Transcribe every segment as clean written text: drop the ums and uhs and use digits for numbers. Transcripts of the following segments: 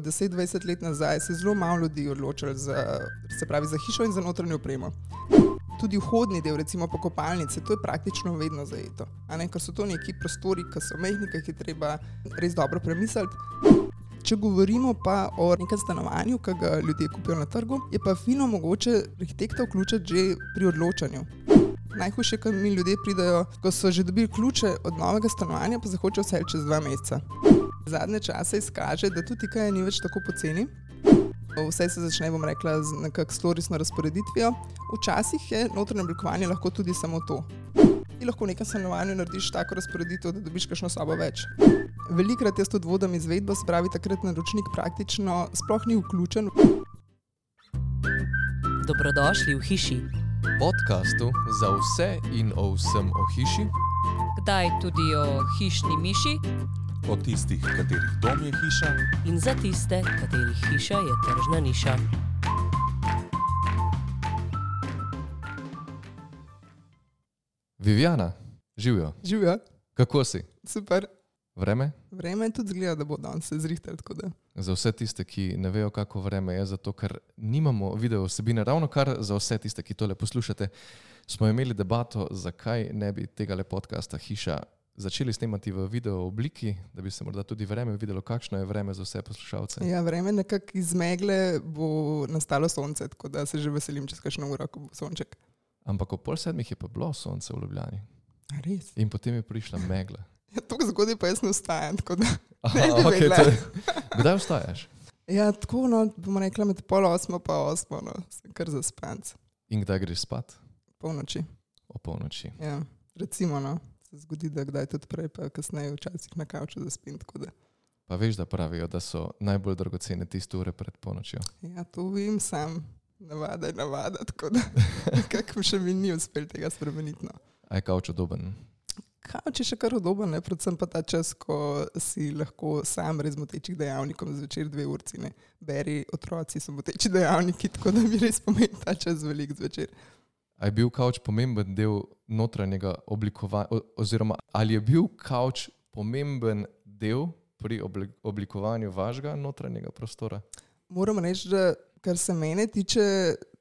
10-20 let nazaj se je zelo malo ljudi odločilo za hišo in za notranjo opremo. Tudi vhodni del, recimo po kopalnici, to je praktično vedno zajeto. Ker so to neki prostori, ki so mehni, ki jih je treba res dobro premisliti. Če govorimo pa o nekem stanovanju, ki ga ljudje kupijo na trgu, je pa fino mogoče arhitekta vključiti že pri odločanju. Najhujše, ko mi ljudje pridejo, ko so že dobili ključe od novega stanovanja, pa se hočejo vseliti čez 2 meseca. Zadnje čase izkaže, da tudi IKEA ni več tako poceni. Vse se začne, bom rekla, z nekako storisno razporeditvijo. Včasih je notranje oblikovanje lahko tudi samo to. Ti lahko v nekem stanovanju narediš tako razporeditev, da dobiš kakšno sobo več. Velikrat jaz tudi vodim izvedbo, se pravi, takrat naročnik praktično sploh ni vključen. Dobrodošli v hiši. Podcastu za vse in o vsem o hiši. Kdaj tudi o hišni miši. O tistih, katerih dom je hiša. In za tiste, katerih hiša je tržna niša. Viviana, živjo. Živjo. Kako si? Super. Vreme? Vreme tudi zgleda, da bo danes se zrihtali, tako da. Za vse tiste, ki ne vejo, kako vreme je, zato ker nimamo video vsebine, ravno kar za vse tiste, ki tole poslušate, smo imeli debato, zakaj ne bi tegale podcasta Hiša začeli snemati v video obliki, da bi se morda tudi vreme videlo, kakšno je vreme za vse poslušalce. Ja, vreme nekako iz megle bo nastalo sonce, tako da se že veselim čez kakšno uro, ko bo sonček. Ampak ob 6:30 je pa bilo sonce v Ljubljani. A res? In potem je prišla megla. Ja, toliko zgodaj pa jaz ne vstajam, tako da Aha, ne bi okay, vedela. Kdaj vstajaš? Ja, tako, bomo rekla med 7:30 pa 8, sem kar zaspanc. In kdaj greš spat? Polnoči. O polnoči. Ja, recimo, se zgodi, da kdaj tudi prej, pa kasneje včasih na kavču zaspim, tako da. Pa veš, da pravijo, da so najbolj dragocene tiste ure pred polnočjo. Ja, to vem, sam navada je navada, tako da nekako še mi ni uspel tega spremeniti. No. A je kavč udoben? Kavč je še kar udoben, predvsem pa ta čas, ko si lahko sam brez motečih dejavnikov zvečer 2 urci, ne. Beri, otroci so moteči dejavniki, tako da mi res pomeni ta čas velik zvečer. A je bil kavč pomemben del notranjega oblikovanja, oziroma ali je bil kavč pomemben del pri oblikovanju vašega notranjega prostora? Moram reči, da kar se mene tiče,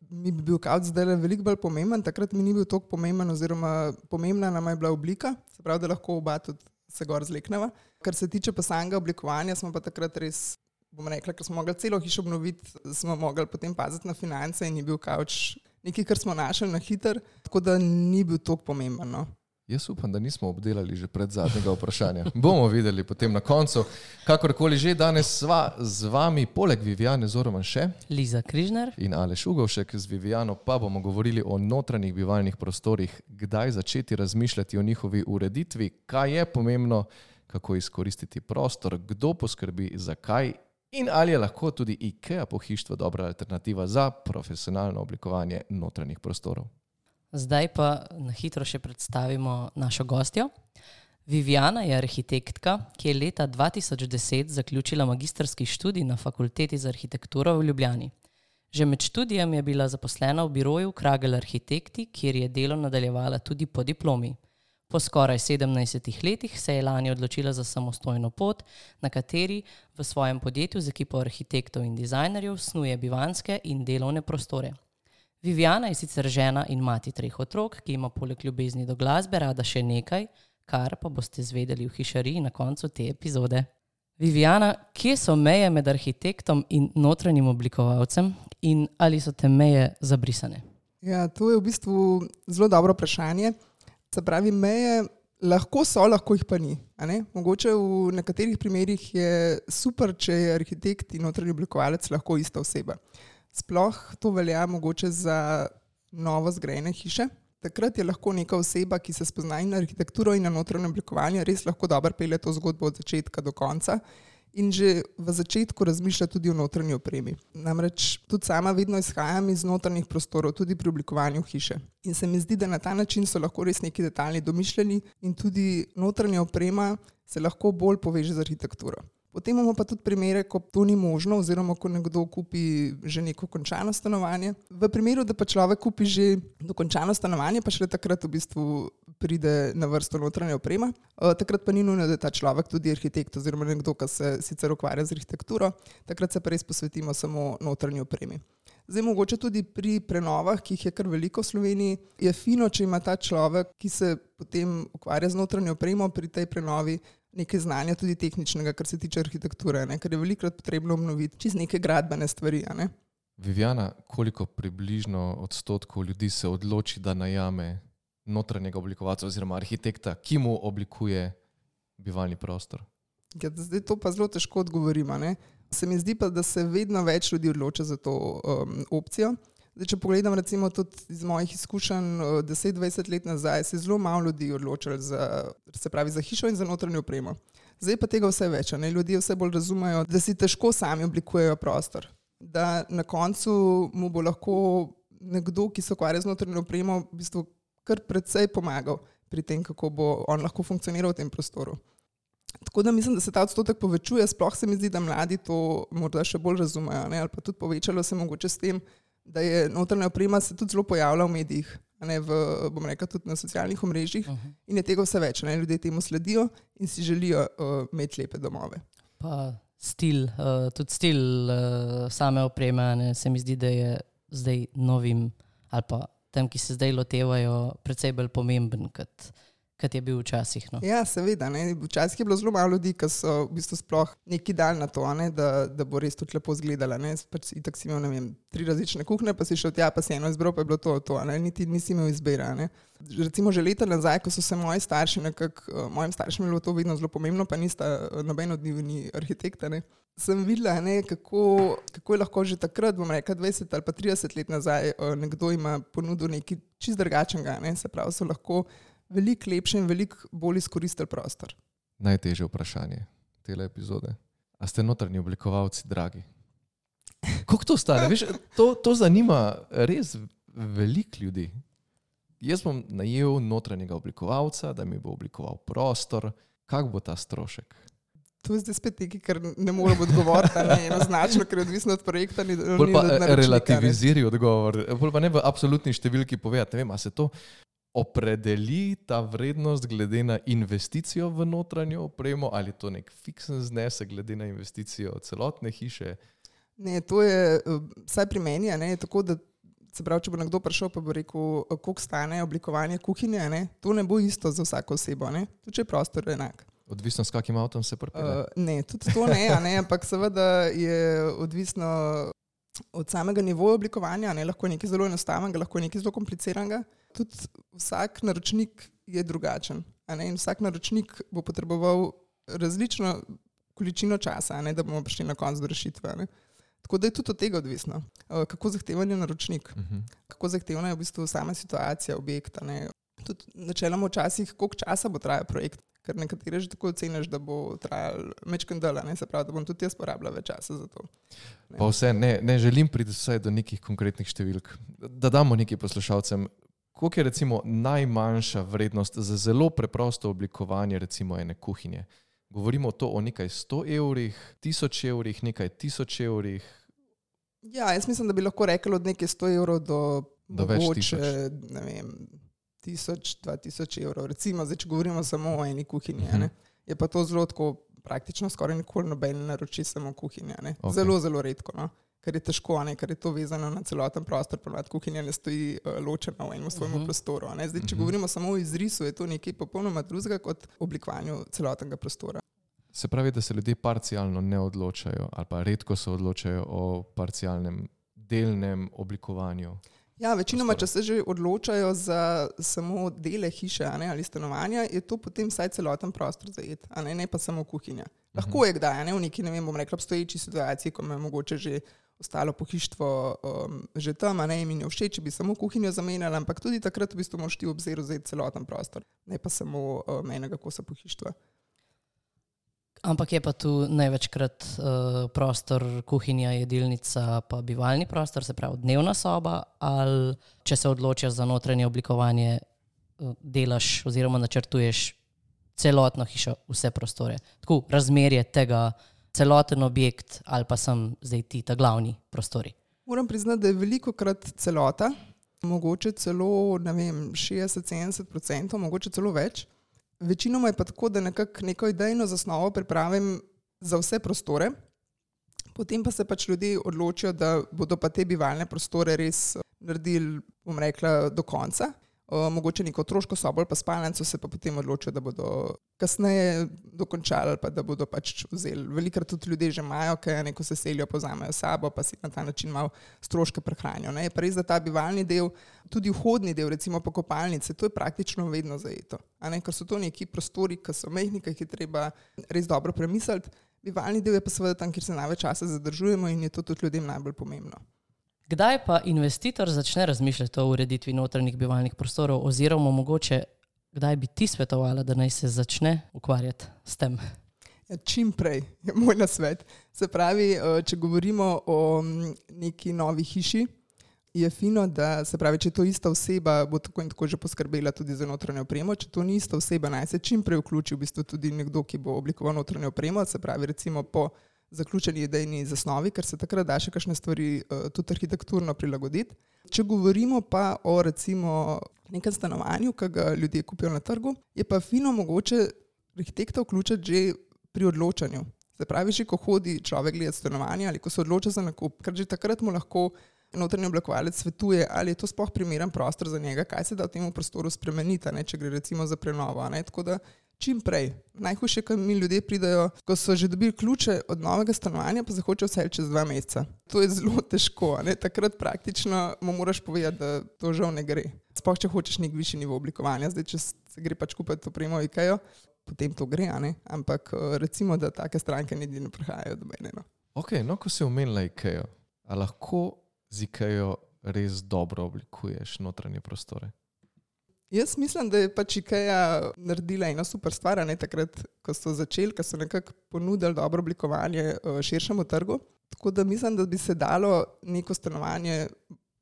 mi bi bil kavč zdaj veliko bolj pomemben, takrat mi ni bil toliko pomemben, oziroma pomembna nama je bila oblika, se pravi, da lahko oba tudi se gor zlekneva. Kar se tiče pa samega oblikovanja, smo pa takrat res, bom rekla, ker smo mogli celo hišo obnoviti, smo mogli potem paziti na finance in je bil kavč nekaj, kar smo našli na hiter, tako da ni bil toliko pomemben. No. Jaz upam, da nismo obdelali že pred zadnjega vprašanja. Bomo videli potem na koncu. Kakorkoli že, danes sva z vami, poleg Viviane Zoroman še Liza Križnar in Aleš Ugovšek. Z Viviano pa bomo govorili o notranjih bivalnih prostorih, kdaj začeti razmišljati o njihovi ureditvi, kaj je pomembno, kako izkoristiti prostor, kdo poskrbi, zakaj in ali je lahko tudi IKEA pohištvo dobra alternativa za profesionalno oblikovanje notranjih prostorov. Zdaj pa na hitro še predstavimo našo gostjo. Viviana je arhitektka, ki je leta 2010 zaključila magistrski študij na Fakulteti za arhitekturo v Ljubljani. Že med študijem je bila zaposlena v biroju Kragel Arhitekti, kjer je delo nadaljevala tudi po diplomi. Po skoraj 17 letih se je lani odločila za samostojno pot, na kateri v svojem podjetju z ekipo arhitektov in dizajnerjev snuje bivanjske in delovne prostore. Viviana je sicer žena in mati 3 otrok, ki ima poleg ljubezni do glasbe rada še nekaj, kar pa boste zvedeli v hišariji na koncu te epizode. Viviana, kje so meje med arhitektom in notranjim oblikovalcem in ali so te meje zabrisane? Ja, to je v bistvu zelo dobro vprašanje. Se pravi, meje lahko so, lahko jih pa ni. Mogoče v nekaterih primerih je super, če je arhitekt in notranji oblikovalec lahko ista oseba. Sploh to velja mogoče za novo zgrajene hiše. Takrat je lahko neka oseba, ki se spozna in na arhitekturo in na notranje oblikovanje, res lahko dobro pelje to zgodbo od začetka do konca in že v začetku razmišlja tudi o notranji opremi. Namreč tudi sama vedno izhajam iz notranjih prostorov, tudi pri oblikovanju hiše. In se mi zdi, da na ta način so lahko res neki detajli domišljeni in tudi notranja oprema se lahko bolj poveže z arhitekturo. Potem imamo pa tudi primere, ko to ni možno, oziroma ko nekdo kupi že neko končano stanovanje. V primeru, da pa človek kupi že dokončano stanovanje, pa šele takrat v bistvu pride na vrsto notranja oprema. Takrat pa ni nujno, da je ta človek tudi arhitekt oziroma nekdo, ki se sicer ukvarja z arhitekturo. Takrat se pa res posvetimo samo notranji opremi. Zdaj, mogoče tudi pri prenovah, ki jih je kar veliko v Sloveniji, je fino, če ima ta človek, ki se potem ukvarja z notranjo opremo pri tej prenovi, nekaj znanja tudi tehničnega, kar se tiče arhitekture, ne? Ker je velikokrat potrebno obnoviti čez neke gradbene stvari. Ne? Viviana, koliko približno odstotkov ljudi se odloči, da najame notranjega oblikovalca oziroma arhitekta, ki mu oblikuje bivalni prostor? Ja, zdaj to pa zelo težko odgovorimo. Ne? Se mi zdi pa, da se vedno več ljudi odloča za to opcijo. Zdaj, če pogledam recimo tudi iz mojih izkušenj 10-20 let nazaj, se je zelo malo ljudi odločilo za hišo in za notranjo opremo. Zdaj pa tega vse več. Ne? Ljudje vse bolj razumejo, da si težko sami oblikujejo prostor. Da na koncu mu bo lahko nekdo, ki se ukvarja z notranjo opremo, v bistvu kar precej pomagal pri tem, kako bo on lahko funkcioniral v tem prostoru. Tako da mislim, da se ta odstotek povečuje, sploh se mi zdi, da mladi to morda še bolj razumejo, ne? Ali pa tudi povečalo se mogoče s tem, da je notranja oprema se tudi zelo pojavlja v medijih, ne, bom rekla tudi na socialnih omrežjih in je tega vse več. Ne? Ljudje temu sledijo in si želijo imeti lepe domove. Pa tudi stil same opreme, ne, se mi zdi, da je zdaj novim ali pa tem, ki se zdaj lotevajo, precej bolj pomemben, kot je bil včasih. No. Ja, seveda. Ne? Včasih je bilo zelo malo ljudi, ki so v bistvu sploh neki dal na to, ne? Da bo res tudi lepo izgledala. Pač itak si imel, ne vem, 3 različne kuhne, pa si šel tja, pa si eno izbral, pa je bilo to. Niti nisi imel izbira. Ne? Recimo že leta nazaj, ko so se moji starši, mojim staršem je bilo to vedno zelo pomembno, pa nista noben od njih ni arhitekta, ne? Sem videla, ne, kako je lahko že takrat, bom rekla 20 ali pa 30 let nazaj, nekdo ima ponudil nekaj čist drugačnega. Ne? Se pravi, so lahko veliko lepše in veliko bolj izkoristili prostor. Najtežje vprašanje tele epizode. A ste notranji oblikovalci dragi? Koliko to stane? Veš, to zanima res veliko ljudi. Jaz bom najel notranjega oblikovalca, da mi bo oblikoval prostor. Kak bo ta strošek? To je zdaj spet nekaj, kar ne morem odgovoriti, ne enoznačno, ker je odvisno od projekta. Bolj pa relativiziri odgovor. Bolj pa ne v absolutni številki povedati. Ne vem, a se to opredeli ta vrednost glede na investicijo v notranjo opremo ali to nek fiksen znesek glede na investicijo celotne hiše? Ne, to je, vsaj pri meni, ne, je tako, da se pravi, če bo nekdo prišel, pa bo rekel, koliko stane oblikovanje kuhinje, ne, to ne bo isto za vsako osebo, ne, tudi če je prostor enak. Odvisno s kakim avtom se pripelje? Ne, tudi to ne, ampak seveda je odvisno od samega nivoja oblikovanja, ne, lahko je nekaj zelo enostavnega, lahko je nekaj zelo kompliciranega. Tudi vsak naročnik je drugačen, ne, in vsak naročnik bo potreboval različno količino časa, ne, da bomo prišli na konec do rešitve. Ne. Tako da je tudi od tega odvisno, kako zahteven je naročnik, kako zahtevna je v bistvu sama situacija objekta. Ne. Tudi načeloma včasih, koliko časa bo trajal projekt, ker nekatere že tako oceniš, da bo trajal mečken dela, se pravi, da bom tudi jaz porabila več časa za to. Ne. Pa vse, ne želim priti vsaj do nekih konkretnih številk, da damo nekaj poslušalcem. Koliko je recimo najmanjša vrednost za zelo preprosto oblikovanje recimo ene kuhinje? Govorimo to o nekaj 100 evrih, 1000 evrih, nekaj 1000 evrih? Ja, jaz mislim, da bi lahko rekli od nekaj 100 evrov do mogoče, ne vem, 1000-2000 evrov. Recimo, zdaj, če govorimo samo o eni kuhinji, ne, je pa to zelo tako praktično skoraj nikoli noben naroči samo kuhinja. Ne. Okay. Zelo, zelo redko, no. Ker je težko, ne, ker je to vezano na celoten prostor, ponavadi kuhinja ne stoji ločena v enem svojem prostoru. Ne. Zdaj, če govorimo samo o izrisu, je to nekaj popolnoma drugega kot oblikovanju celotnega prostora. Se pravi, da se ljudje parcialno ne odločajo ali pa redko se odločajo o parcialnem delnem oblikovanju? Ja, večinoma, če se že odločajo za samo dele hiše, ne, ali stanovanja, je to potem vsaj celoten prostor zajet, ne pa samo kuhinja. Lahko je kdaj, ne, v neki, ne vem, bom rekla, obstoječi situaciji, ko me mogoče že ostalo pohištvo že tam, ne, in mi je všeč, če bi samo kuhinjo zamenjala, ampak tudi takrat v bistvu moraš ti v obzir vzeti celoten prostor, ne pa samo enega kosa pohištva. Ampak je pa tu največkrat prostor, kuhinja, jedilnica, pa bivalni prostor, se pravi dnevna soba, ali če se odločiš za notranje oblikovanje, delaš oziroma načrtuješ celotno hišo, vse prostore. Tako, razmerje tega celoten objekt ali pa sem zdaj ti ta glavni prostori? Moram priznati, da je velikokrat celota, mogoče celo 60-70%, mogoče celo več. Večinoma je pa tako, da nekako neko idejno zasnovo pripravim za vse prostore, potem pa se pač ljudje odločijo, da bodo pa te bivalne prostore res naredili, bom rekla, do konca. Mogoče neko otroško sobo ali pa spalnico se pa potem odločijo, da bodo kasneje dokončali ali pa da bodo pač vzeli. Velikrat tudi ljudje že imajo, kaj neko se selijo, pozamejo sabo, pa si na ta način malo stroške prehranijo. Je pa res, da ta bivalni del, tudi vhodni del, recimo pa kopalnice, to je praktično vedno zajeto. Ker so to neki prostori, ki so majhni, ki jih je treba res dobro premisliti. Bivalni del je pa seveda tam, kjer se največ časa zadržujemo in je to tudi ljudem najbolj pomembno. Kdaj pa investitor začne razmišljati o ureditvi notranjih bivalnih prostorov oziroma mogoče kdaj bi ti svetovala, da naj se začne ukvarjati s tem? Ja, čim prej je moj nasvet. Se pravi, če govorimo o neki novi hiši, je fino, da se pravi, če to ista oseba, bo tako in tako že poskrbela tudi za notranjo opremo. Če to ni ista oseba, naj se čim prej vključi v bistvu tudi nekdo, ki bo oblikoval notranjo opremo, se pravi recimo po zaključeni idejni zasnovi, ker se takrat da še kakšne stvari tudi arhitekturno prilagoditi. Če govorimo pa o recimo nekem stanovanju, ki ga ljudje kupijo na trgu, je pa fino mogoče arhitekta vključiti že pri odločanju. Se pravi, že ko hodi človek gledati stanovanje ali ko se odloča za nakup, ker že takrat mu lahko notranji oblikovalec svetuje, ali je to sploh primeren prostor za njega, kaj se da v tem prostoru spremeniti, če gre recimo za prenovo. Tako da čim prej. Najhujše, ko mi ljudje pridajo, ko so že dobili ključe od novega stanovanja, pa se hočejo vseliti čez 2 meseca. To je zelo težko. Takrat praktično mu moraš povedati, da to žal ne gre. Sploh, če hočeš nek višji nivo oblikovanja. Zdaj, če se gre pač kupiti opremo Ikeo, potem to gre, ampak recimo, da take stranke niti ne prihajajo do mene. Ok, ko si omenila Ikeo, a lahko z Ikeo res dobro oblikuješ notranje prostore? Jaz mislim, da je pač Ikea naredila eno super stvar, takrat, ko so začeli, ko so nekako ponudili dobro oblikovanje širšemu trgu. Tako da mislim, da bi se dalo neko stanovanje,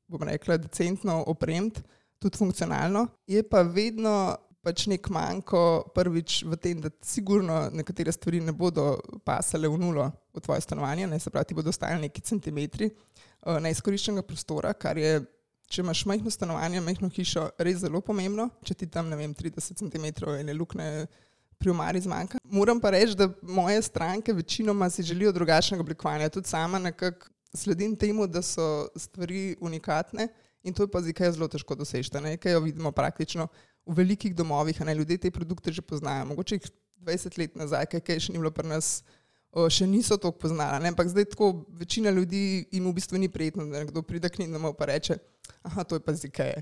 bom rekla, decentno opremiti, tudi funkcionalno. Je pa vedno pač nek manjko prvič v tem, da sigurno nekatere stvari ne bodo pasale v nulo v tvoje stanovanje, se pravi, ti bodo ostajali neki centimetri neizkoriščenega prostora, kar je, če imaš majhno stanovanje, majhno hišo, res zelo pomembno, če ti tam, 30 cm ene luknje pri omari zmanjka. Moram pa reči, da moje stranke večinoma si želijo drugačnega oblikovanja. Tudi sama nekako sledim temu, da so stvari unikatne in to je pa z Ikeo zelo težko doseči. Ikeo vidimo praktično v velikih domovih, ljudje te produkte že poznajo. Mogoče jih 20 let nazaj, kaj še ni bilo pri nas, še niso toliko poznala. Ampak zdaj tako večina ljudi jim v bistvu ni prijetno, da nekdo pride k njim domov pa reče, aha, to je pa z Ikee.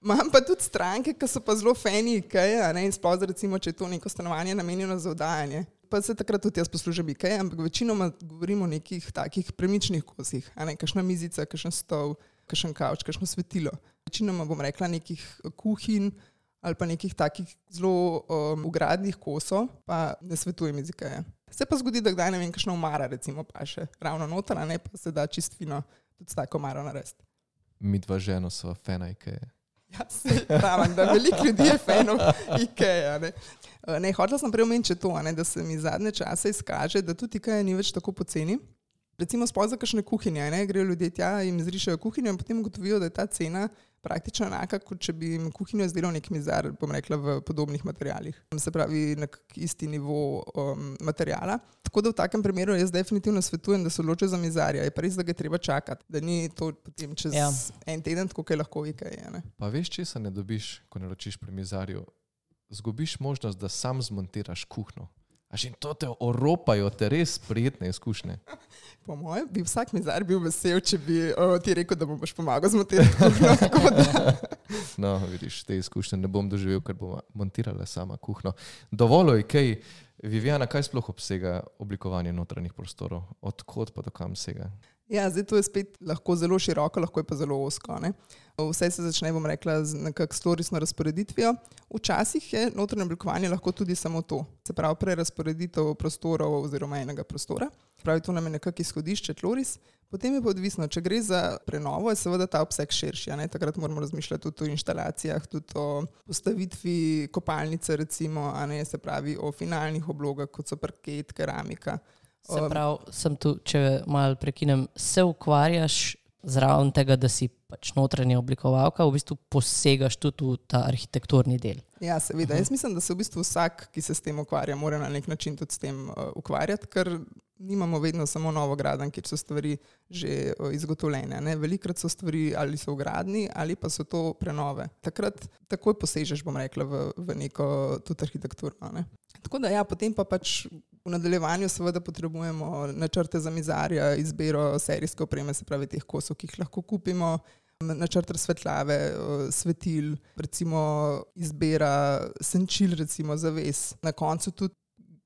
Imam pa tudi stranke, ki so pa zelo fani Ikee, in sploh recimo, če je to neko stanovanje namenjeno za oddajanje. Pa se takrat tudi jaz poslužim Ikee, ampak večinoma govorimo o nekih takih premičnih kosih, kakšna mizica, kakšen stol, kakšen kavč, kakšno svetilo. Večinoma bom rekla nekih kuhinj ali pa nekih takih zelo ugradnih kosov, pa ne svetujem iz Ikee. Se pa zgodi, da kdaj kakšna omara recimo pa še ravno noter, pa se da čist fino tudi s tako omaro narediti. Mi dva ženo sva fana Ikee. Ja, se pravim, da veliko ljudi je fanov Ikee. Hotela sem prej omeniti to, da se mi zadnje čase izkaže, da tudi Ikea ni več tako poceni. Recimo sploh za kakšne kuhinje, grejo ljudje tja in izrišajo kuhinjo in potem ugotovijo, da je ta cena praktično enaka, kot če bi jim kuhinjo izdelal nek mizar, bom rekla, v podobnih materialih. Se pravi, na isti nivo materijala. Tako da v takem primeru jaz definitivno svetujem, da se odločijo za mizarja. Je pa res, da ga je treba čakati, da ni to potem čez en teden, tako kaj lahko Ikea. Pa veš, česa ne dobiš, ko naročiš pri mizarju? Zgubiš možnost, da sam zmontiraš kuhno. A že to te oropajo, te res prijetne izkušnje. Po mojem bi vsak mizar bil vesel, če bi ti rekel, da mu boš pomagal zmontirati kuhno. No, vidiš, te izkušnje ne bom doživel, ker bom montirala sama kuhno. Dovolj, Ikei. Viviana, kaj sploh obsega oblikovanje notranjih prostorov? Od kod pa do kam sega? Ja, zdaj to je spet lahko zelo široko, lahko je pa zelo ozko. Ne? Vse se začne, bom rekla, z nekako storisno razporeditvijo. Včasih je notranje oblikovanje lahko tudi samo to. Se pravi, prerazporeditev prostorov oziroma enega prostora. Pravi, to nam je nekako izhodišče tloris. Potem je pa odvisno, če gre za prenovo, je seveda ta obseg širši. Ne? Takrat moramo razmišljati tudi o inštalacijah, tudi o postavitvi kopalnice, recimo, a ne, se pravi o finalnih oblogah, kot so parket, keramika. Se pravi, sem tu, če malo prekinem, se ukvarjaš zraven tega, da si pač notranja oblikovalka, v bistvu posegaš tudi v ta arhitekturni del. Ja, seveda. Jaz mislim, da se v bistvu vsak, ki se s tem ukvarja, mora na nek način tudi s tem ukvarjati, ker nimamo vedno samo novogradenj, kjer so stvari že izgotovljene. Ne? Velikrat so stvari ali so v gradnji ali pa so to prenove. Takrat takoj posežeš, bom rekla, v neko tudi arhitekturo. Ne? Tako da ja, potem pa pač v nadaljevanju seveda potrebujemo načrte za mizarja, izbiro serijske opreme, se pravi teh kosov, ki jih lahko kupimo, načrt razsvetljave, svetil, recimo izbira senčil, recimo zaves. Na koncu tudi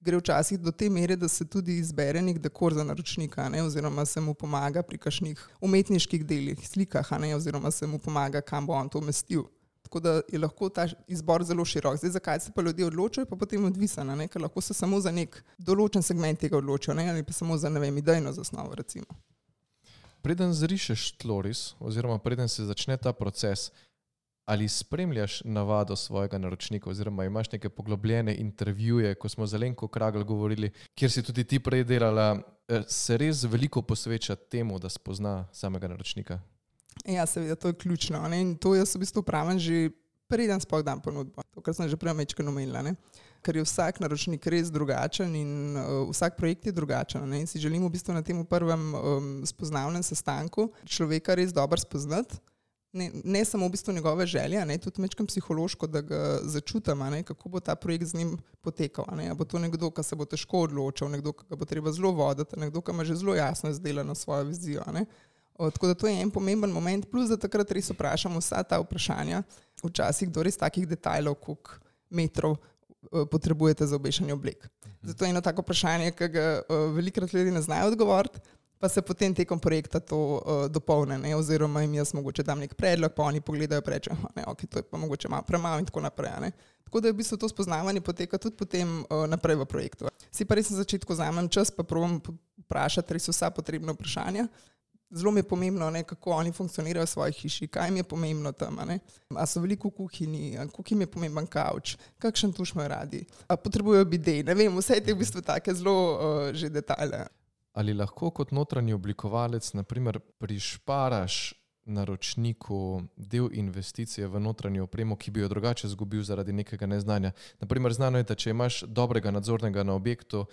gre včasih do te mere, da se tudi izbere nek dekor za naročnika, ne, oziroma se mu pomaga pri kakšnih umetniških delih, slikah, ne, oziroma se mu pomaga, kam bo on to umestil. Tako da je lahko ta izbor zelo širok. Zdaj, zakaj se pa ljudje odločajo, pa potem odvisno, ne, ker lahko se samo za nek določen segment tega odločijo, ne, ali pa samo za, ne vem, idejno zasnovo, recimo. Preden zrišeš tloris, oziroma preden se začne ta proces, ali spremljaš navado svojega naročnika, oziroma imaš neke poglobljene intervjuje, ko smo z Alenko Kragl govorili, kjer si tudi ti prej delala, se res veliko posveča temu, da spozna samega naročnika? Ja, seveda, to je ključno. Ne? In to jaz v bistvu pravim že preden sploh dam ponudbo. To, kar sem že prej mečkeno omenila, ne? Ker je vsak naročnik res drugačen in vsak projekt je drugačen. Ne? In si želimo v bistvu na tem prvem spoznavnem sestanku človeka res dobro spoznati. Ne samo v bistvu njegove želje, ne, tudi mečkam psihološko, da ga začutam, ne, kako bo ta projekt z njim potekal. Ne. A bo to nekdo, ki se bo težko odločil, nekdo, ki ga bo treba zelo voditi, nekdo, ki ima že zelo jasno izdelano svojo vizijo. Ne. Tako da to je en pomemben moment, plus da takrat res vprašamo vsa ta vprašanja, včasih do res takih detajlov, koliko metrov potrebujete za obešanje oblek. Zato je eno tako vprašanje, ki ga velikrat ljudi ne znajo odgovoriti, pa se potem tekom projekta to dopolne, ne, oziroma jim jaz mogoče dam nek predlog, pa oni pogledajo in rečejo, ne, ok, to je pa mogoče malo premalo in tako naprej. Ne. Tako da je v bistvu to spoznavanje poteka tudi potem naprej v projektu. Si pa res na začetku vzamem čas, pa probam vprašati res vsa potrebna vprašanja. Zelo mi je pomembno, ne, kako oni funkcionirajo v svoji hiši, kaj jim je pomembno tam, ne. A so veliko v kuhinji, koliko jim je pomemben kavč, kakšen tuš imajo radi, a potrebujejo bidej, ne vem, vse te v bistvu take zelo že detajle. Ali lahko kot notranji oblikovalec, naprimer, prišparaš naročniku del investicije v notranjo opremo, ki bi jo drugače izgubil zaradi nekega neznanja? Naprimer, znano je, da če imaš dobrega nadzornega na objektu,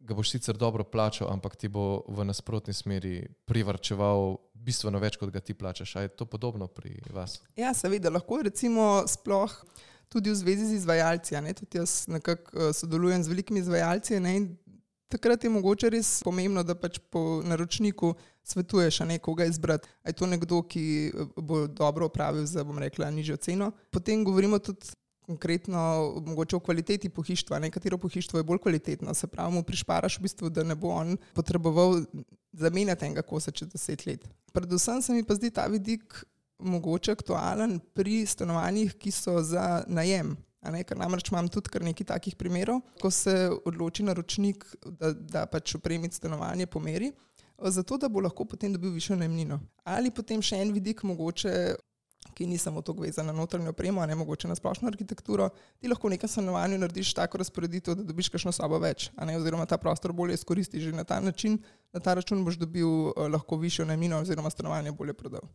ga boš sicer dobro plačal, ampak ti bo v nasprotni smeri privarčeval bistveno več, kot ga ti plačaš. A je to podobno pri vas? Ja, seveda, lahko recimo sploh tudi v zvezi z izvajalci. Ne? Tudi jaz nekako sodelujem z velikimi izvajalci, ne? In takrat je mogoče res pomembno, da pač po naročniku svetuješ nekoga izbrati. A je to nekdo, ki bo dobro opravil za, bom rekla, nižjo ceno. Potem govorimo tudi konkretno mogoče o kvaliteti pohištva. Katero pohištvo je bolj kvalitetno. Se pravi, mu prišparaš v bistvu, da ne bo on potreboval zamenjati enega kosa čez 10 let. Predvsem se mi pa zdi ta vidik mogoče aktualen pri stanovanjih, ki so za najem. Ker namreč imam tudi kar nekaj takih primerov, ko se odloči naročnik, da pač opremiti stanovanje po meri, zato da bo lahko potem dobil višjo najemnino. Ali potem še en vidik mogoče, ki ni samo toliko vezan na notranjo opremo, a ne mogoče na splošno arhitekturo, ti lahko v nekem stanovanju narediš tako razporeditev, da dobiš kakšno sobo več, oziroma ta prostor bolje izkoristiš. Že na ta način, na ta račun boš dobil lahko višjo najemnino oziroma stanovanje bolje prodal.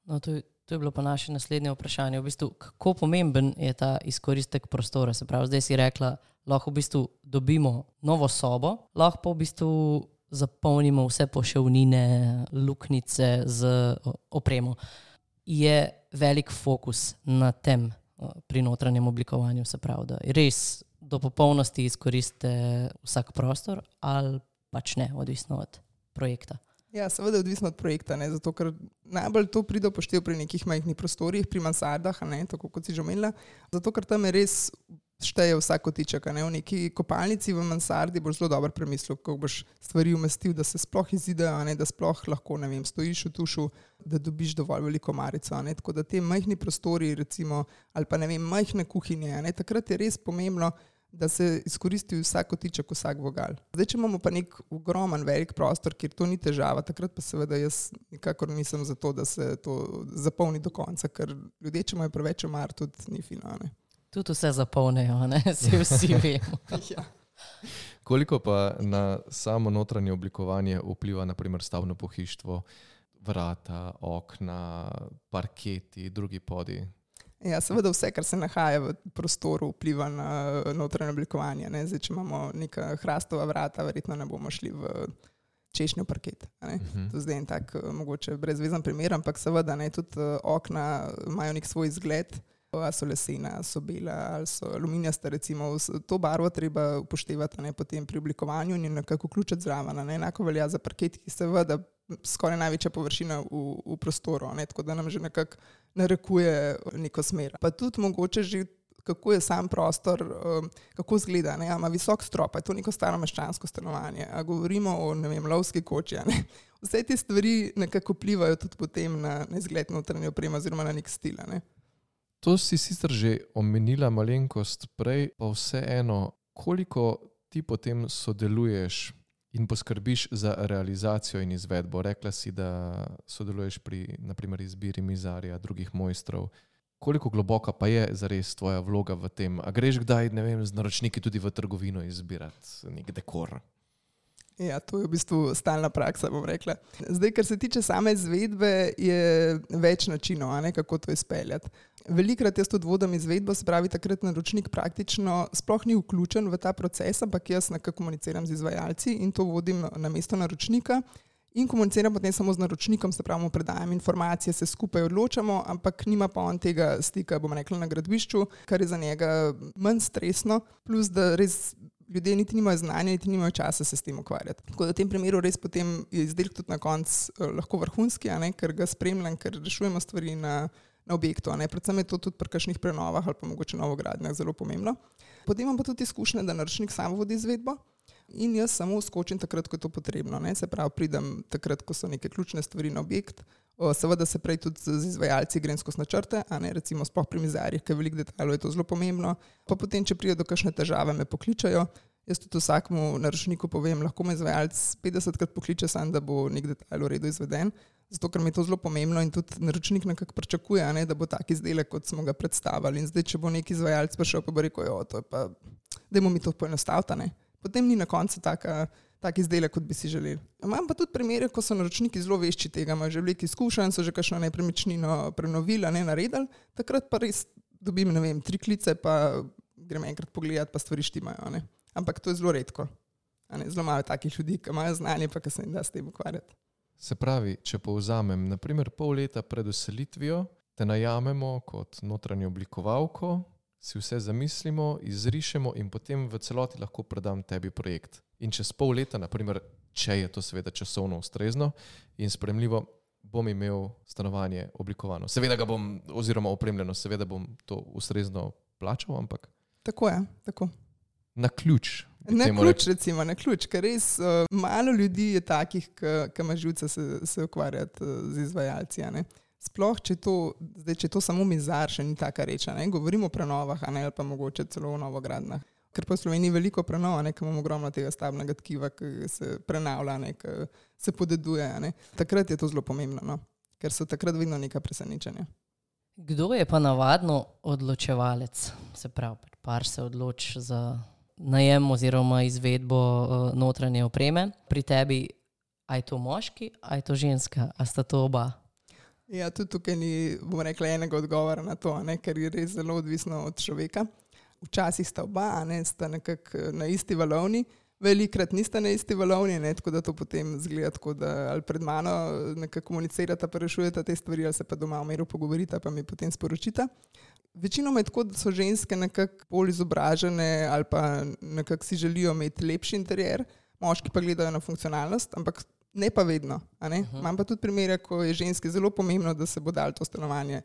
No, to je bilo pa naše naslednje vprašanje. V bistvu, kako pomemben je ta izkoristek prostora? Se pravi, zdaj si rekla, lahko v bistvu dobimo novo sobo, lahko pa v bistvu zapolnimo vse poševnine, luknjice z opremo. Je velik fokus na tem pri notranjem oblikovanju, se pravi, da res do popolnosti izkoriste vsak prostor ali pač ne, odvisno od projekta. Ja, seveda je odvisno od projekta, ne, zato ker najbolj to pride upoštev pri nekih majhnih prostorih, pri mansardah, ne, tako kot si že omenila, zato ker tam je res šteje vsak kotiček. V neki kopalnici v mansardi boš zelo dobro premislil, kako boš stvari umestil, da se sploh izidejo, da sploh lahko, stojiš v tušu, da dobiš dovolj veliko marico. Tako da te majhni prostori, recimo, ali pa majhne kuhinje, takrat je res pomembno, da se izkoristi vsak kotiček, vsak vogal. Zdaj, če imamo pa nek ogromen, velik prostor, kjer to ni težava, takrat pa seveda jaz nikakor nisem za to, da se to zapolni do konca, ker ljudje, če imajo preveč omar, tudi ni fino. Tudi vse zapolnejo, vsi vemo. Ja. Koliko pa na samo notranje oblikovanje vpliva naprimer stavbno pohištvo, vrata, okna, parketi, drugi podi? Ja, seveda vse, kar se nahaja v prostoru, vpliva na notranje oblikovanje. Zdaj, če imamo neka hrastova vrata, verjetno ne bomo šli v češnjev parket. To zdaj je tak mogoče brezvezen primer, ampak seveda tudi okna imajo nek svoj izgled. Ali so lesena, so bela, ali so aluminijasta, recimo. To barvo treba upoštevati potem pri oblikovanju in nekako vključiti zraven. Enako velja za parket, ki seveda skoraj največja površina v prostoru, tako da nam že nekako narekuje neko smer. Pa tudi mogoče že, kako je sam prostor, kako izgleda. Ima visok strop, je to neko staro meščansko stanovanje. A govorimo o, lovski koči. Vse te stvari nekako vplivajo tudi potem na izgled notranje opreme oziroma na nek stil. To si sicer že omenila malenkost prej, pa vseeno, koliko ti potem sodeluješ in poskrbiš za realizacijo in izvedbo? Rekla si, da sodeluješ pri naprimer izbiri mizarja, drugih mojstrov. Koliko globoka pa je zares tvoja vloga v tem? A greš kdaj, z naročniki tudi v trgovino izbirati nek dekor? Ja, to je v bistvu stalna praksa, bom rekla. Zdaj, kar se tiče same izvedbe, je več načinov, kako to izpeljati. Velikrat jaz tudi vodim izvedbo, se pravi, takrat naročnik praktično sploh ni vključen v ta proces, ampak jaz nekako komuniciram z izvajalci in to vodim na mesto naročnika in komuniciram potem samo z naročnikom, se pravi, mu predajam informacije, se skupaj odločamo, ampak nima pa on tega stika, bom rekla, na gradbišču, kar je za njega manj stresno, plus da res ljudje niti nimajo znanja, niti nimajo časa se s tem ukvarjati. Tako da v tem primeru res potem je izdelek tudi na koncu lahko vrhunski, ker ga spremljam, ker rešujemo stvari na objektu. Predvsem je to tudi pri kakšnih prenovah ali pa mogoče novogradnjah zelo pomembno. Potem imam pa tudi izkušnje, da naročnik sam vodi izvedbo in jaz samo skočim takrat, ko je to potrebno. Se pravi, pridem takrat, ko so neke ključne stvari na objekt. Seveda se prej tudi z izvajalci grem skozi načrte, recimo sploh pri mizarjih, ker veliko detajlov je to zelo pomembno. Pa potem, če pride do kakšne težave, me pokličajo. Jaz tudi vsakmu naročniku povem, lahko me izvajalec 50krat pokliče sam, da bo nek detajl v redu izveden. Zato, ker mi je to zelo pomembno in tudi naročnik nekako pričakuje, da bo tak izdelek, kot smo ga predstavili. In zdaj, če bo neki izvajalec prišel, pa bo rekel, to je pa, dajmo mi to poenostaviti. Potem ni na koncu tak izdelek, kot bi si želeli. Imam pa tudi primere, ko so naročniki zelo vešči tega, imajo že veliko izkušenj, so že kakšno nepremičnino prenovili, naredili, takrat pa res dobim, 3 klice, pa grem enkrat pogledati, pa stvari štimajo. Ampak to je zelo redko. Zelo malo takih ljudi, ki imajo znanje, pa ki se jim da s tem ukvarjati. Se pravi, če povzamem, naprimer pol leta pred vselitvijo, te najamemo kot notranjo oblikovalko, si vse zamislimo, izrišemo in potem v celoti lahko predam tebi projekt. In čez pol leta, naprimer, če je to seveda časovno ustrezno in sprejemljivo, bom imel stanovanje oblikovano. Seveda ga bom, oziroma opremljeno, seveda bom to ustrezno plačal, ampak... Tako je, tako. Na ključ. Na ključ, ker res malo ljudi je takih, ki ima živce se ukvarjati z izvajalci. Sploh, če je to samo mizar, še ni taka reč. Govorimo o prenovah, ali pa mogoče celo o novogradnjah. Ker pa v Sloveniji veliko prenov, ker imamo ogromno tega stavbnega tkiva, ki se prenavlja, ki se podeduje. Takrat je to zelo pomembno, ker so takrat vedno neka presenečenja. Kdo je pa navadno odločevalec? Se pravi, par se odloči za najem oziroma izvedbo notranje opreme. Pri tebi, a je to moški, a je to ženska, a sta to oba? Ja, tudi tukaj ni, bom rekla, enega odgovora na to, ker je res zelo odvisno od človeka. Včasih sta oba, sta nekako na isti valovni, velikrat nista na isti valovni, tako da to potem zgleda tako, da ali pred mano nekako komunicirata, pa rešujeta te stvari, ali se pa doma v miru pogovorita, pa mi potem sporočita. Večinoma je tako, da so ženske nekako bolj izobražene ali pa nekako si želijo imeti lepši interier, moški pa gledajo na funkcionalnost, ampak ne pa vedno. Imam pa tudi primere, ko je ženski zelo pomembno, da se bo dalo to stanovanje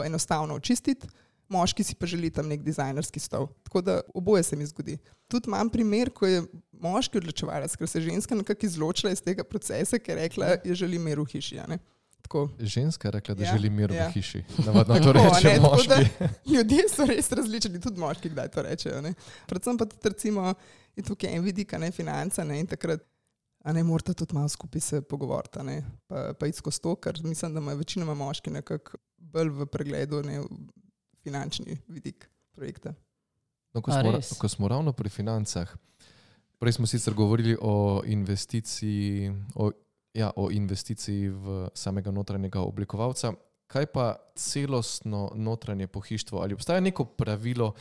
enostavno očistiti, moški si pa želi tam nek dizajnerski stol. Tako da oboje se mi zgodi. Tudi imam primer, ko je moški odločevalec, ker se je ženska nekako izločila iz tega procesa, ker je rekla, da želi mir v hiši. Ženska je rekla, da Ja, želi mir ja. v hiši. Navadno to reče Tako, moški. Ljudje so res različni, tudi moški kdaj to rečejo. Ne? Predvsem pa tudi recimo, je tukaj en vidik, financa, ne? In takrat morate tudi malo skupaj se pogovoriti, pa iti skozi to, ker mislim, da imajo večinoma moški nekako bolj v pregledu finančni vidik projekta. No, ko smo ravno pri financah, prej smo sicer govorili o investiciji, o investiciji v samega notranjega oblikovalca. Kaj pa celostno notranje pohištvo? Ali obstaja neko pravilo,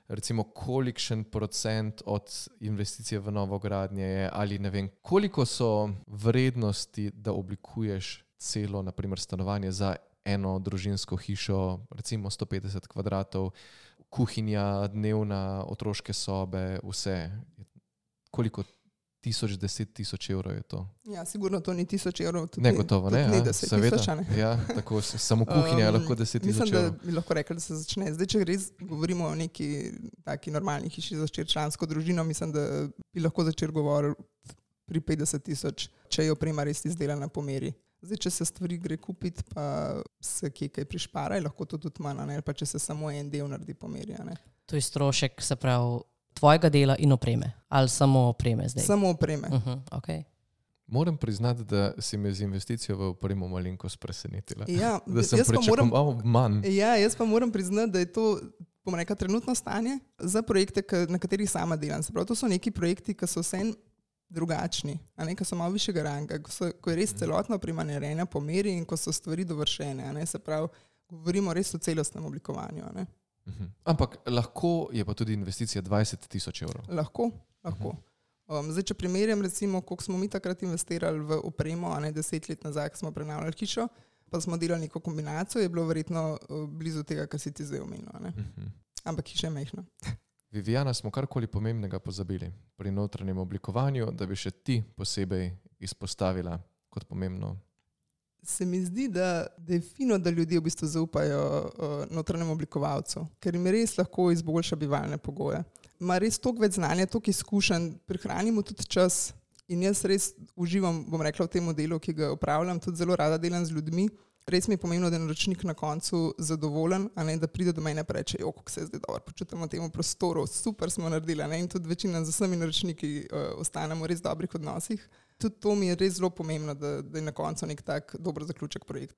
recimo kolikšen procent od investicije v novogradnje je, ali ne vem, koliko so vrednosti, da oblikuješ celo, naprimer stanovanje za eno družinsko hišo, recimo 150 kvadratov, kuhinja, dnevna, otroške sobe, vse. Koliko 1000 evrov je to? Ja, sigurno to ni 1000 evrov. Negotovo, ne? Ni 10 000, ne? Ja, tako samo kuhinja je lahko 10 000 Mislim, evrov. da bi lahko rekli, da se začne. Zdaj, če res govorimo o neki taki normalni hiši za štirčlansko družino, mislim, da bi lahko začel govoriti pri 50 000, če je oprema res izdelana po meri. Zdaj, če se stvari gre kupiti, pa se kaj prišpara, lahko to tudi manj, ali pa če se samo en del naredi po meri. To je strošek, se pravi, tvojega dela in opreme. Ali samo opreme zdaj? Samo opreme. Okay. Moram priznati, da si me z investicijo v opremo malenkost presenetila. Ja, da sem pričakoval manj. Ja, jaz pa moram priznati, da je to, bom rekla, trenutno stanje za projekte, na katerih sama delam. Se pravi, to so neki projekti, ki so vsem drugačni, ki so malo višjega ranga, ko je res celotna oprema narejena po meri in ko so stvari dovršene. Se pravi, govorimo res o celostnem oblikovanju. Ampak lahko je pa tudi investicija 20 000 evrov. Lahko. Zdaj, če primerjam, recimo, koliko smo mi takrat investirali v opremo, 10 let nazaj, ko smo prenavljali hišo, pa smo delali neko kombinacijo, je bilo verjetno blizu tega, kar si ti zdaj omenil. Ampak hiša je majhna. Viviana, smo karkoli pomembnega pozabili pri notranjem oblikovanju, da bi še ti posebej izpostavila kot pomembno? Se mi zdi, da je fino, da ljudje v bistvu zaupajo notranjemu oblikovalcu, ker jim res lahko izboljša bivalne pogoje. Ima res toliko več znanja, toliko izkušenj, prihranimo tudi čas in jaz res uživam, bom rekla, v tem delu, ki ga opravljam, tudi zelo rada delam z ljudmi. Res mi je pomembno, da je naročnik na koncu zadovoljen, da pride do mene in reče, kako se zdaj dobro počutimo v tem prostoru, super smo naredili. In tudi večina z vsemi naročniki ostanemo v res dobrih odnosih. Tudi to mi je res zelo pomembno, da je na koncu nek tak dober zaključek projekta.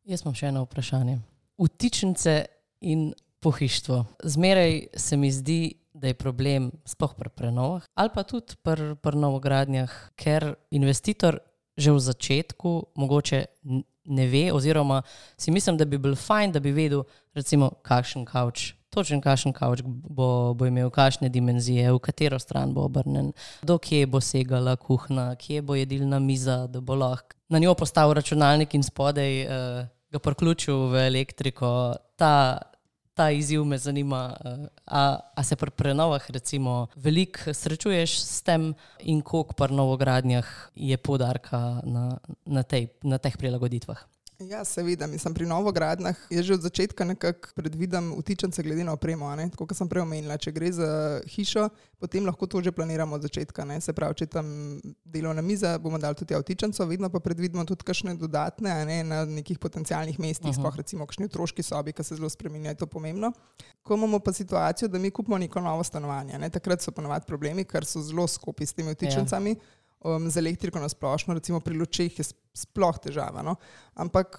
Jaz imam še eno vprašanje. Vtičnice in pohištvo. Zmeraj se mi zdi, da je problem sploh pri prenovah ali pa tudi pri novogradnjah, ker investitor že v začetku mogoče ne ve, oziroma si mislim, da bi bil fajn, da bi vedel, recimo, kakšen kavč, točen kakšen kavč bo imel, kakšne dimenzije, v katero stran bo obrnen, do kje bo segala kuhna, kje bo jedilna miza, da bo lahko na njo postavil računalnik in spodaj ga priključil v elektriko. Ta izziv me zanima. A se pri prenovah recimo veliko srečuješ s tem in koliko pri novogradnjah je poudarka na teh prilagoditvah? Ja, seveda. Mislim, pri novogradnjah je že od začetka nekako predvidem vtičnice glede na opremo. Tako kot sem prej omenila, če gre za hišo, potem lahko to že planiramo od začetka. Se pravi, če tam delovna miza, bomo dali tudi vtičnico, vedno pa predvidimo tudi kakšne dodatne na nekih potencialnih mestih, sploh recimo kakšni otroški sobi, ki se zelo spreminjajo, je to pomembno. Ko imamo pa situacijo, da mi kupimo neko novo stanovanje, takrat so ponovadi problemi, ker so zelo skopi s temi vtičnicami. Z elektriko na splošno, recimo pri lučeh je sploh težava. Ampak,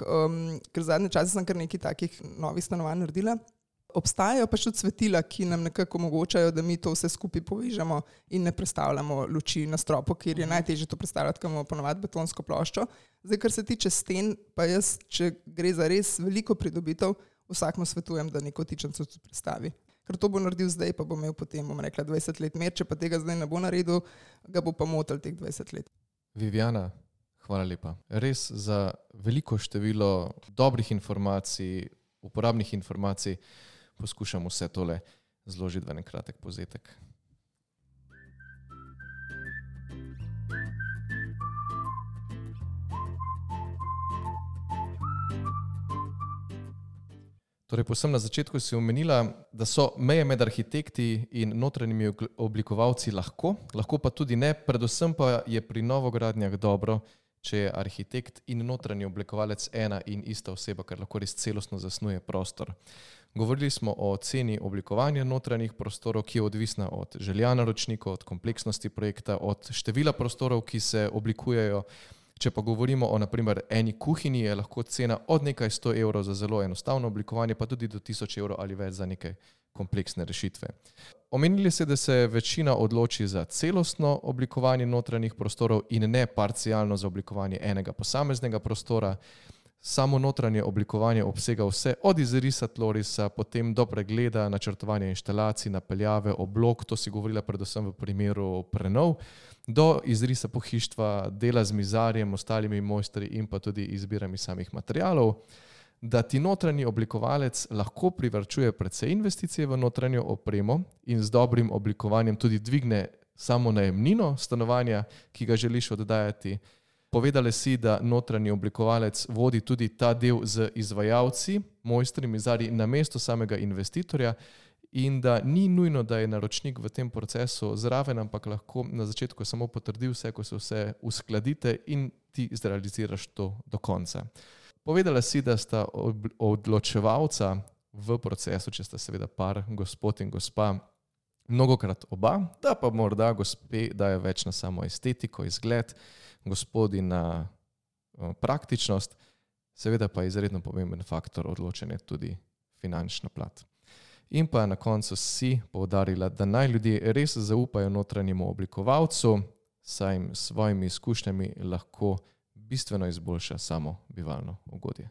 ker zadnje čase sem kar nekaj takih novih stanovanj naredila, obstajajo pa še svetila, ki nam nekako omogočajo, da mi to vse skupaj povežemo in ne prestavljamo luči na stropu, kjer je najtežje to predstavljati, ker imamo ponovadi betonsko ploščo. Zdaj, kar se tiče sten, pa jaz, če gre za res veliko pridobitev, vsakmu svetujem, da neko vtičnico tudi predstavi. Ker to bo naredil zdaj, pa bo imel potem, bom rekla, 20 let mer, če pa tega zdaj ne bo naredil, ga bo pa motil teh 20 let. Viviana, hvala lepa. Res za veliko število dobrih informacij, uporabnih informacij, poskušam vse tole zložiti v en kratek povzetek. Torej, posebno na začetku si omenila, da so meje med arhitekti in notranjimi oblikovalci lahko pa tudi ne. Predvsem pa je pri novogradnjah dobro, če je arhitekt in notranji oblikovalec ena in ista oseba, ker lahko res celostno zasnuje prostor. Govorili smo o ceni oblikovanja notranjih prostorov, ki je odvisna od želja naročnikov, od kompleksnosti projekta, od števila prostorov, ki se oblikujejo. Če pa govorimo o naprimer eni kuhinji, je lahko cena od nekaj 100 evrov za zelo enostavno oblikovanje, pa tudi do 1000 evrov ali več za neke kompleksne rešitve. Omenili ste, da se večina odloči za celostno oblikovanje notranjih prostorov in ne parcialno za oblikovanje enega posameznega prostora. Samo notranje oblikovanje obsega vse od izrisa tlorisa, potem do pregleda, načrtovanja inštalacij, napeljave, oblog, to si govorila predvsem v primeru prenov, do izrisa pohištva, dela z mizarjem, ostalimi mojstri in pa tudi izbirami samih materialov. Da ti notranji oblikovalec lahko privarčuje precej investicije v notranjo opremo in z dobrim oblikovanjem tudi dvigne samo najemnino stanovanja, ki ga želiš oddajati. Povedali si, da notranji oblikovalec vodi tudi ta del z izvajalci, mojstri, mizarji namesto samega investitorja in da ni nujno, da je naročnik v tem procesu zraven, ampak lahko na začetku samo potrdi vse, ko se vse uskladite in ti zrealiziraš to do konca. Povedala si, da sta odločevalca v procesu, če sta seveda par, gospod in gospa, mnogokrat oba, da pa morda gospe dajo več na samo estetiko, izgled, gospodi na praktičnost, seveda pa je izredno pomemben faktor odločanja tudi finančna plat. In pa na koncu si poudarila, da naj ljudje res zaupajo notranjemu oblikovalcu, saj jim s svojimi izkušnjami lahko bistveno izboljša samo bivalno ugodje.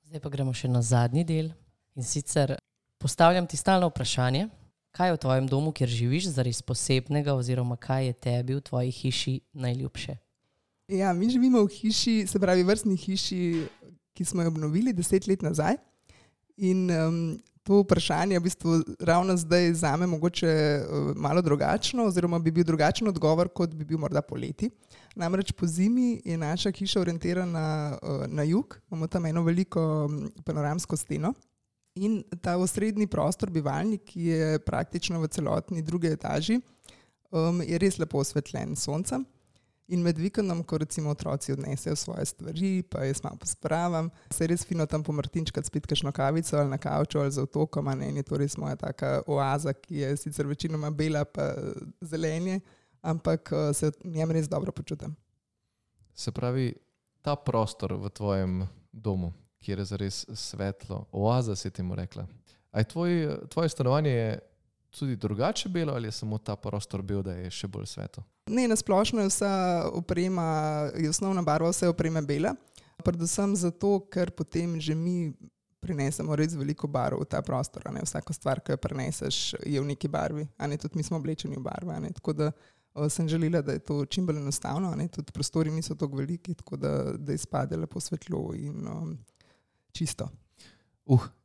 Zdaj pa gremo še na zadnji del in sicer postavljam ti stalno vprašanje, kaj je v tvojem domu, kjer živiš, zares posebnega oziroma kaj je tebi v tvoji hiši najljubše? Ja, mi živimo v hiši, se pravi vrstni hiši, ki smo jo obnovili 10 let nazaj in to vprašanje je v bistvu ravno zdaj zame mogoče malo drugačno oziroma bi bil drugačen odgovor, kot bi bil morda poleti. Namreč po zimi je naša hiša orientirana na jug, imamo tam eno veliko panoramsko steno in ta osrednji prostor, bivalnik, ki je praktično v celotni drugi etaži, je res lepo osvetljen s soncem. In med vikendom, ko recimo otroci odnesejo svoje stvari, pa jaz malo pospravam, se je res fino tam pomrtinčkati spet kakšno kavico ali na kavču ali za otokom, in je to res moja taka oaza, ki je sicer večinoma bela pa zelenje, ampak se v njem res dobro počutim. Se pravi, ta prostor v tvojem domu, kjer je zares svetlo, oaza si temu rekla, a je tvoje stanovanje je tudi drugače belo ali je samo ta prostor bel, da je še bolj svetlo? Ne, nasplošno je vsa oprema, je osnovna barva vse opreme bela, predvsem zato, ker potem že mi prinesemo res veliko barv v ta prostor. Vsaka stvar, ki jo prineseš, je v neki barvi, tudi mi smo oblečeni v barve. Tako da sem želela, da je to čim bolj enostavno, tudi prostori niso tako veliki, tako da izpade lepo svetlo in čisto.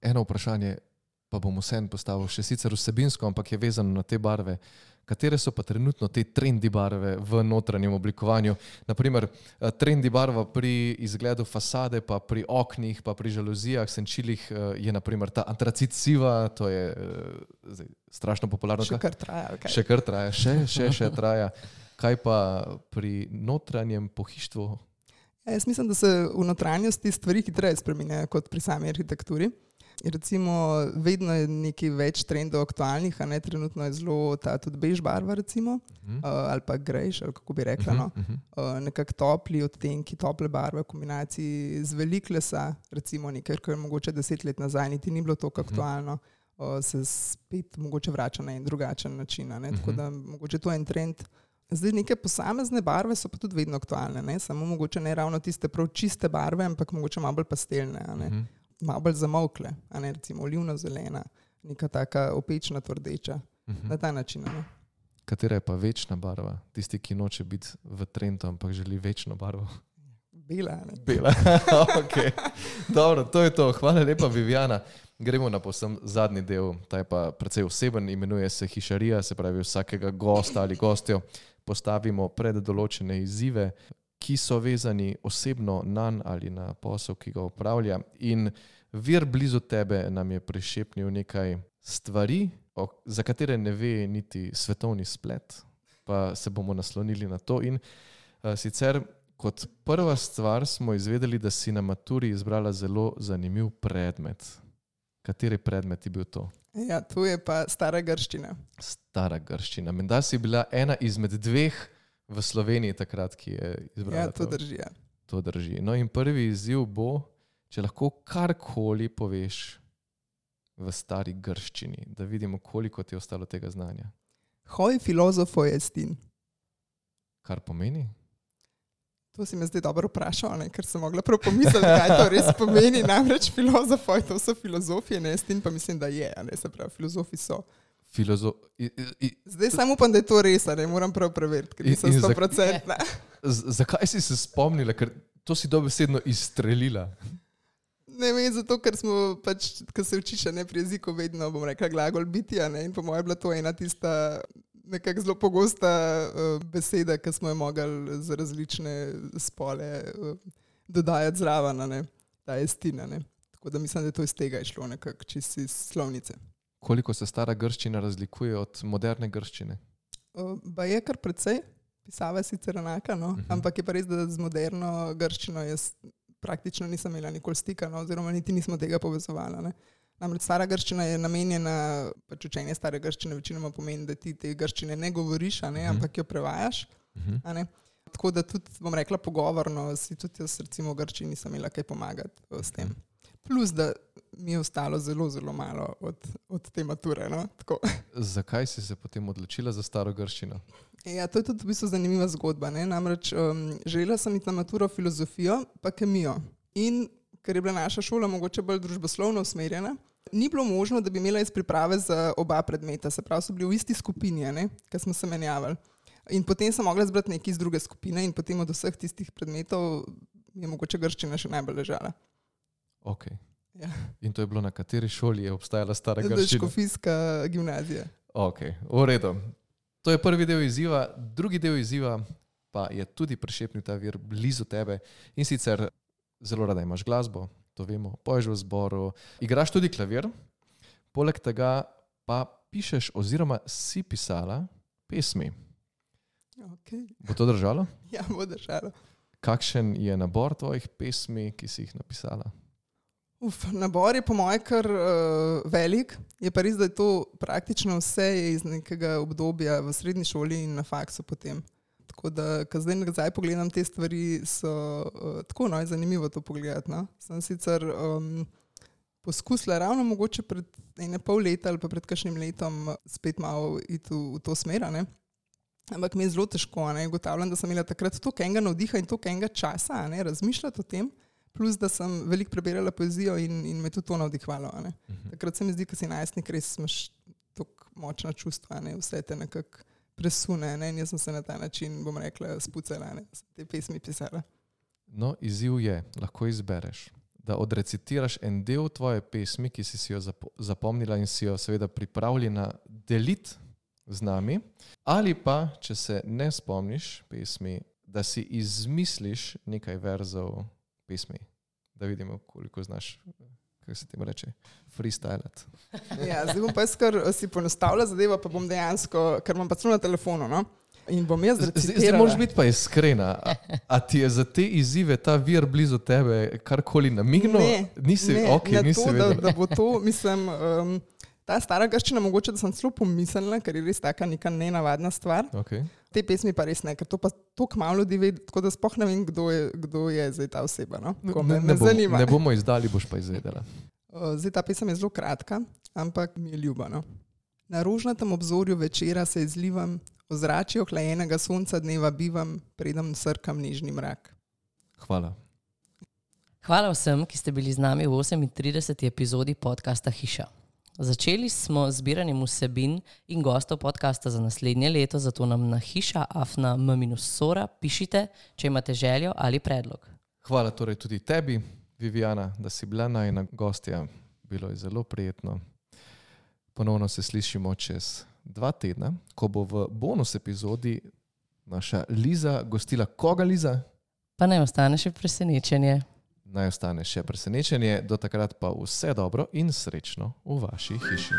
Eno vprašanje pa bom vseeno postavil še sicer vsebinsko, ampak je vezano na te barve. Katere so pa trenutno te trendi barve v notranjem oblikovanju? Naprimer, trendi barva pri izgledu fasade, pa pri oknih, pa pri žaluzijah, senčilih je naprimer ta antracit siva, to je strašno popularno. Še kar traja. Še kar traja, še traja. Kaj pa pri notranjem pohištvu? Jaz mislim, da se v notranjosti stvari hitreje spreminjajo kot pri sami arhitekturi. Recimo, vedno je nekaj več trendov aktualnih, trenutno je zelo ta tudi bež barva, recimo, ali pa grejš, ali kako bi rekla, nekako topli odtenki, tople barve v kombinaciji z veliko lesa, recimo nekaj, kar je mogoče 10 let nazaj, niti ni bilo toliko aktualno, se spet mogoče vrača na en drugačen način, tako da mogoče to je en trend. Zdaj neke posamezne barve so pa tudi vedno aktualne, samo mogoče ne ravno tiste prav čiste barve, ampak mogoče malo bolj pastelne, malo bolj zamolkle, recimo olivno-zelena, neka taka opečna, tvrdeča, na ta način. Katera je pa večna barva? Tisti, ki noče biti v trendu, ampak želi večno barvo? Bela. Bela, ok. Dobro, to je to. Hvala lepa, Viviana. Gremo na povsem zadnji del, ta je pa precej oseben, imenuje se hišarija, se pravi vsakega gosta ali gostjo postavimo pred določene izzive, ki so vezani osebno nanj ali na posel, ki ga upravlja. In vir blizu tebe nam je prišepnil nekaj stvari, za katere ne ve niti svetovni splet, pa se bomo naslonili na to. In sicer kot prva stvar smo izvedeli, da si na maturi izbrala zelo zanimiv predmet. Kateri predmet je bil to? Ja, to je pa stara grščina. Stara grščina. Menda si bila ena izmed dveh v Sloveniji takrat, ki je izbrala Ja, to drži. Ja. To drži. No in prvi izziv bo, če lahko karkoli poveš v stari grščini, da vidimo, koliko ti je ostalo tega znanja. Hoj filozofo estin. Kar pomeni? To si me zdaj dobro vprašal, ne? Ker sem mogla prav pomisliti, kaj to res pomeni. Namreč filozofoj, to so filozofije, ne estin, pa mislim, da je, ne se pravi, filozofi so. Zdaj samo upam, da je to res, ne moram prav preveriti, ker nisem 100%. Zakaj si se spomnila, ker to si dobesedno izstrelila? Ne vem, zato ker smo pač, ko se učiš ne pri jeziku, vedno bom rekla glagol biti, ne, in po mojem je bila to ena tista nekako zelo pogosta beseda, ki smo jo mogli za različne spole dodajati zraven, ne, ta estina, ne. Tako da mislim, da je to iz tega išlo nekako, čisto iz slovnice. Koliko se stara grščina razlikuje od moderne grščine? Ba je kar precej, pisava je sicer enaka, no, ampak je pa res, da z moderno grščino jaz praktično nisem imela nikoli stika, no, oziroma niti nismo tega povezovali, ne. Namreč stara grščina je namenjena, pač učenje stare grščine večinoma pomeni, da ti te grščine ne govoriš, a ne, ampak jo prevajaš. A ne. Tako da tudi, bom rekla, pogovorno si tudi jaz recimo v Grčiji nisem imela kaj pomagati s tem. Plus, da mi je ostalo zelo, zelo malo od te mature. No? Zakaj si se potem odločila za staro grščino? Ja, to je tudi v bistvu zanimiva zgodba. Ne? Namreč želela sem iti na maturo filozofijo pa kemijo. In ker je bila naša šola mogoče bolj družboslovno usmerjena, ni bilo možno, da bi imela iz priprave za oba predmeta. Se pravi, so bili v isti skupini, ker smo se menjavali. In potem sem mogla zbrati nekaj iz druge skupine in potem od vseh tistih predmetov je mogoče grščina še najbolj ležala. Ok. Ja. In to je bilo na kateri šoli je obstajala stara grščina? Škofijska gimnazija. Ok, v redu. To je prvi del izziva. Drugi del izziva pa je tudi prišepnil ta vir blizu tebe. In sicer zelo rada imaš glasbo, to vemo, poješ v zboru, igraš tudi klavir, poleg tega pa pišeš oziroma si pisala pesmi. Okay. Bo to držalo? Ja, bo držalo. Kakšen je nabor tvojih pesmi, ki si jih napisala? Nabor je po moje kar velik. Je pa res, da je to praktično vse iz nekega obdobja v srednji šoli in na faksu potem. Tako da, ko zdaj nazaj pogledam te stvari, so tako zanimivo to pogledati. No? Sem sicer poskusila ravno mogoče pred pol leta ali pa pred kakšnim letom spet malo iti v to smer, ne? Ampak mi je zelo težko. Ugotavljam, da sem imela takrat toliko enega navdiha in toliko enega časa razmišljati o tem, plus da sem veliko prebirala poezijo in me tudi to navdihvalo. Takrat se mi zdi, ko si najstnik, res imaš toliko močna čustva, vse te nekako presune. In jaz sem se na ta način, bom rekla, spucala, sem te pesmi pisala. No, izziv je, lahko izbereš, da odrecitiraš en del tvoje pesmi, ki si jo zapomnila in si jo seveda pripravljena deliti z nami, ali pa, če se ne spomniš pesmi, da si izmisliš nekaj verzov pesmi, da vidimo, koliko znaš, kako se temu reče, freestylat. Ja, zdaj bom pa jaz kar si poenostavila zadeva, pa bom dejansko, ker imam pa celo na telefonu, no? In bom jaz recitirala. Zdaj moraš biti pa iskrena. A ti je za te izzive ta vir blizu tebe karkoli namignil? Nisi vedela. Da bo to, mislim, ta stara grščina, mogoče, da sem celo pomislila, ker je res taka neka nenavadna stvar. Okay. Te pesmi pa res ne, ker to pa toliko malo ljudi ve, tako da sploh ne vem, kdo je zdaj ta oseba. No? Me zanima. Ne bomo izdali, boš pa izvedela. Zdaj ta pesem je zelo kratka, ampak mi je ljuba. No? Na rožnatem obzorju večera se izlivam, ozračje ohlajenega sonca dneva bivam, predem srkam nežni mrak. Hvala. Hvala vsem, ki ste bili z nami v 38. epizodi podcasta Hiša. Začeli smo z zbiranjem vsebin in gostov podcasta za naslednje leto, zato nam na hiša@m-sora pišite, če imate željo ali predlog. Hvala torej tudi tebi, Viviana, da si bila najina gostja. Bilo je zelo prijetno. Ponovno se slišimo čez 2 tedna, ko bo v bonus epizodi naša Liza gostila. Koga, Liza? Pa naj ostane še presenečenje. Naj ostane še presenečenje, do takrat pa vse dobro in srečno v vaši hiši.